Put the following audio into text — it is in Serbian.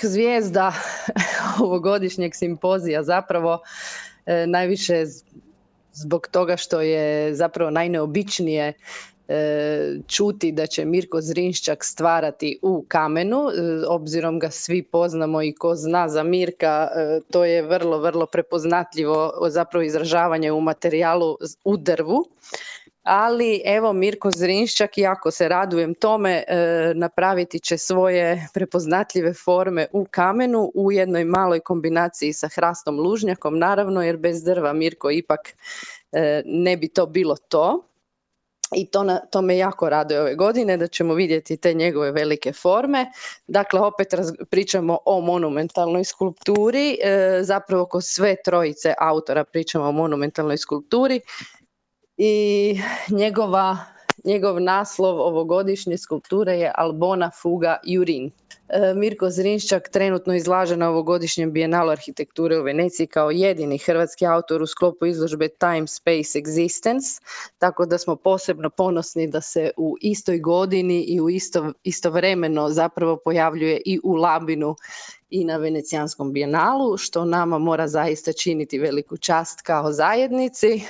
zvijezda ovogodišnjeg simpozija zapravo najviše zbog toga što je zapravo najneobičnije čuti da će Mirko Zrinščak stvarati u kamenu. Obzirom ga svi poznamo i ko zna za Mirka, to je vrlo, vrlo prepoznatljivo zapravo izražavanje u materijalu u drvu. Ali evo Mirko Zrinščak, jako se radujem tome, napraviti će svoje prepoznatljive forme u kamenu u jednoj maloj kombinaciji sa hrastom lužnjakom, naravno, jer bez drva Mirko ipak ne bi to bilo to. I to me jako raduje ove godine, da ćemo vidjeti te njegove velike forme. Dakle, opet pričamo o monumentalnoj skulpturi, zapravo ko sve trojice autora pričamo o monumentalnoj skulpturi i njegov naslov ovogodišnje skulpture je Albona fuga Jurin. Mirko Zrinščak trenutno izlaže na ovogodišnjem Bijenalu arhitekture u Veneciji kao jedini hrvatski autor u sklopu izložbe Time, Space, Existence, tako da smo posebno ponosni da se u istoj godini i u istovremeno zapravo pojavljuje i u Labinu i na Venecijanskom bijenalu, što nama mora zaista činiti veliku čast kao zajednici.